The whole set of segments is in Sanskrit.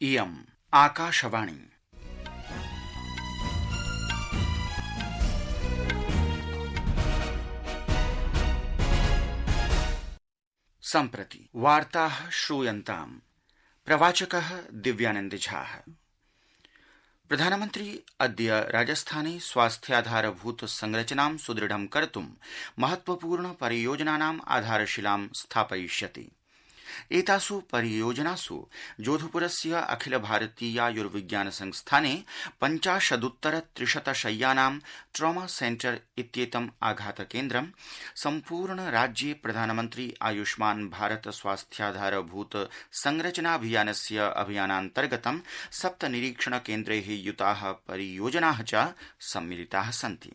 इयम् आकाशवाणी। सम्प्रति वार्ताः श्रूयन्ताम्। प्रवाचकः दिव्यानन्द झा। प्रधानमन्त्री अद्य राजस्थाने स्वास्थ्याधारभूत संरचनां सुदृढं कर्तुं महत्वपूर्ण परियोजनानाम् आधारशिलां स्थापयिष्यति। एतासु परियोजनासु जोधपुरस्य अखिल भारतीयायुर्विज्ञान संस्थाने 50,300 शय्यानां ट्रॉमा सेंटर इत्येतम् आघातकेन्द्रं, सम्पूर्ण राज्ये प्रधानमन्त्री आयुष्मान भारत स्वास्थ्याधारभूत संरचनाभियानस्य अभियानान्तर्गतं 7 निरीक्षणकेन्द्रैः युताः परियोजनाः च सम्मिलिताः सन्ति।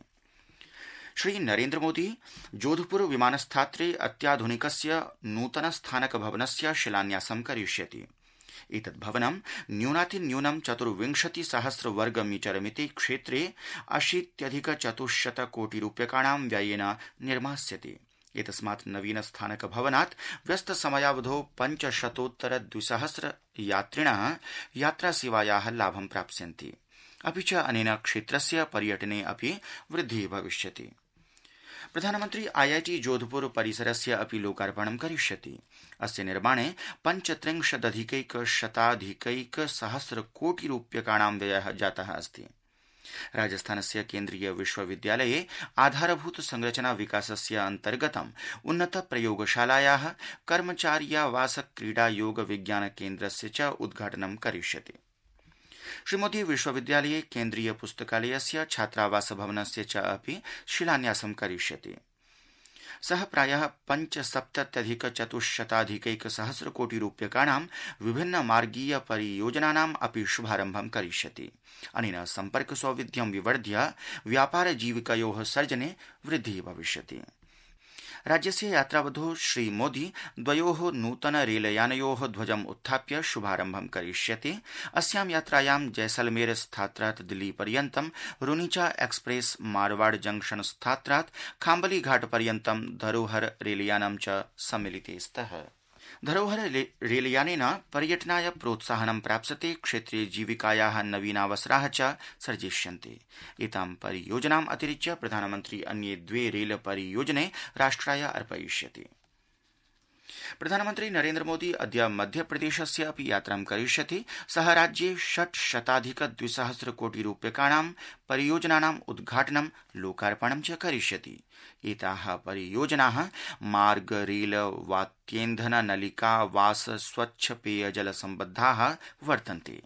श्री नरेन्द्र मोदी जोधपुर विमानस्थात्रे अत्याधुनिकस्य नूतन स्थानक भवनस्य शिलान्यासं करिष्यति। एतद् भवनं न्यूनातिन्यूनं 24,000 वर्गमीटरमिति क्षेत्रे 80,400 कोटि रूप्यकाणां व्ययेन निर्मास्यते। एतस्मात् नवीन स्थानक भवनात् व्यस्तसमयावधौ 500,200 यात्रिणः यात्रासेवायाः लाभं प्राप्स्यन्ति। अपि च अनेन क्षेत्रस्य पर्यटने अपि वृद्धिः भविष्यति। प्रधानमन्त्री आईआईटी जोधपुर परिसरस्य अपि लोकार्पणं करिष्यति। अस्य निर्माणे 35,100 कोटि रूप्यकाणां व्ययः जातः अस्ति। राजस्थानस्य केन्द्रीय विश्वविद्यालये आधारभूत संरचना विकासस्य अन्तर्गतम् उन्नत प्रयोगशालायाः कर्मचार्यावास क्रीडा योग विज्ञान केन्द्रस्य च उद्घाटनं करिष्यति। श्रीमोदी विश्वविद्यालये केन्द्रीय पुस्तकालयस्य छात्रावास भवनस्य च अपि शिलान्यासं करिष्यति। सः प्रायः 75,400 कोटि रूप्यकाणां विभिन्न मार्गीय परियोजनानाम् अपि शुभारम्भं करिष्यति। अनेन सम्पर्क सौविध्यं विवर्ध्य व्यापार जीविकयोः सर्जने वृद्धिः भविष्यति। राज्यस्य यात्रावधौ श्रीमोदी द्वयोः नूतन रेलयानयोः ध्वजम् उत्थाप्य शुभारम्भं करिष्यति। अस्यां यात्रायां जैसलमेर स्थात्रात् दिल्ली पर्यन्तं रुनीचा एक्सप्रेस मारवाड़ जंक्शन स्थात्रात् खाम्बली घाट पर्यन्तं धरोहर रेलयानं च सम्मिलिते स्तः। धरोहर रेलयानेन पर्यटनाय प्रोत्साहनं प्राप्स्यते, क्षेत्रे जीविकायाः नवीनावसराः च सर्जिष्यन्ते। एतां परियोजनाम् अतिरिच्य प्रधानमन्त्री अन्ये 2 रेल परियोजने राष्ट्राय अर्पयिष्यति। प्रधानमन्त्री नरेन्द्र मोदी अद्य मध्यप्रदेशस्य अपि यात्रां करिष्यति। सः राज्ये 600,200 कोटि रूप्यकाणां परियोजनानाम् उद्घाटनं लोकार्पणं च करिष्यति। एताः परियोजनाः मार्ग, रेल, वात्येन्धन, नलिका, वास, स्वच्छ पेयजल सम्बद्धाः वर्तन्ते।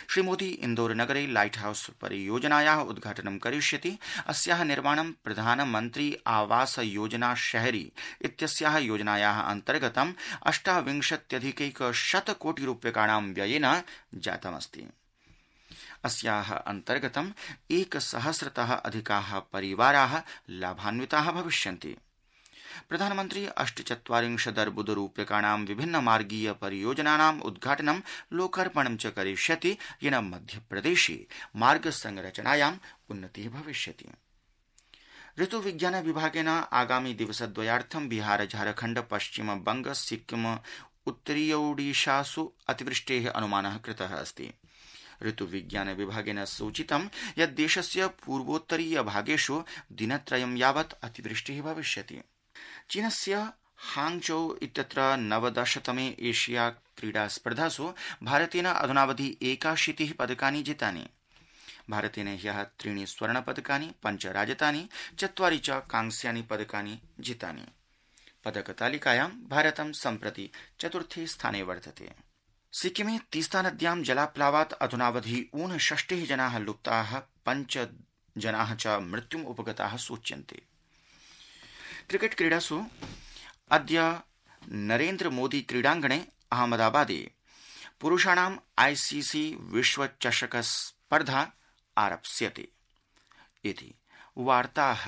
श्रीमोदी इन्दौर नगरे लाइट हाउस परियोजनायाः उद्घाटनं करिष्यति। अस्याः निर्माणं प्रधानमन्त्री आवास योजना शहरी इत्यस्याः योजनायाः अन्तर्गतं 28,100 कोटि रूप्यकाणां व्ययेन जातमस्ति। अस्याः अन्तर्गतं 1,000तः अधिकाः परिवाराः लाभान्विताः भविष्यन्ति। प्रधानमन्त्री 48 अर्बुद रूप्यकाणां विभिन्न मार्गीय परियोजनानाम् उद्घाटनं लोकार्पणं च करिष्यति, येन मध्यप्रदेशे मार्ग संरचनायाम् उन्नतिः भविष्यति। ऋतुविज्ञान विभागेन आगामि दिवसद्वयार्थं बिहार, झारखण्ड, पश्चिम बंग, सिक्किम, उत्तरीयोडिशासु अतिवृष्टेः अनुमानः कृतः अस्ति। ऋतुविज्ञान विभागेन सूचितं यत् देशस्य पूर्वोत्तरीय भागेषु दिनत्रयं यावत् अतिवृष्टिः भविष्यति। चीनस्य हांगझौ इत्यत्र 19तमे एशिया क्रीडा स्पर्धासु भारतेन अधुनावधि 81 पदकानि जितानि। भारतेन ह्यः 3 स्वर्णपदकानि, 5 राजतानि, 4 च कांस्यानि पदकानि जितानि। पदकतालिकायां भारतं सम्प्रति 4थे स्थाने वर्तते। सिक्किमे तीस्ता नद्यां जलाप्लावात् अधुनावधि 59 जनाः लुप्ताः, 5 जनाः च मृत्युम् उपगताः सूच्यन्ते। क्रिकेट क्रीडासु अद्य नरेन्द्र मोदी क्रीडाङ्गणे अहमदाबादे पुरुषाणाम् आईसीसी विश्व चषक स्पर्धा आरप्स्यते। इति वार्ताः।